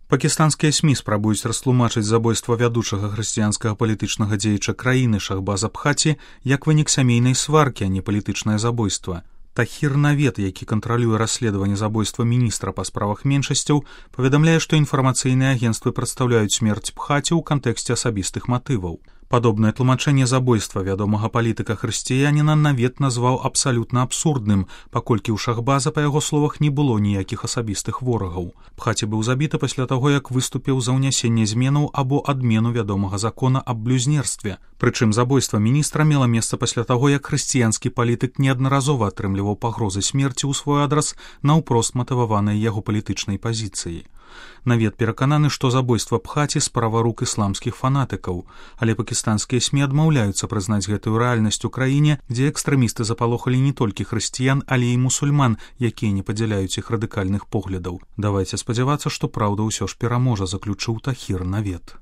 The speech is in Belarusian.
Пакістанскія СМІ спрабуюць растлумачыць забойства вядучага хрысціянскага палітычнага дзеяча краіны Шахбаза Бхати як вынік сямейнай сваркі, а не палітычнае забойства. Тахір Навед, які кантралюе расследаванне забойства міністра па справах меншасцяў, паведамляе, што інфармацыйныя агенцтвы прадстаўляюць смерць Бхати ў кантэксце асабістых матываў. Падобнае тлумачэнне забойства вядомага палітыка-хрысціяніна Навед назваў абсалютна абсурдным, паколькі ў Шахбаза, па яго словах, не было ніякіх асабістых ворагаў. Бхати быў забіты пасля таго, як выступіў за ўнясенне зменаў або адмену вядомага закона аб блюзнерстве. Прычым забойства міністра мела месца пасля таго, як хрысціянскі палітык неаднаразова атрымліваў пагрозы смерці ў свой адрас наўпрост матываванай яго палітычнай пазіцыяй. Навед перакананы, што забойства Бхати справа рук ісламскіх фанатыкаў, але пакістанскія СМІ адмаўляюцца прызнаць гэтую рэальнасць у краіне, дзе экстрэмісты запалохалі не толькі хрысціян, але і мусульман, якія не падзяляюць іх радыкальных поглядаў. Давайце спадзявацца, што праўда ўсё ж пераможа, заключыў Тахір Навед.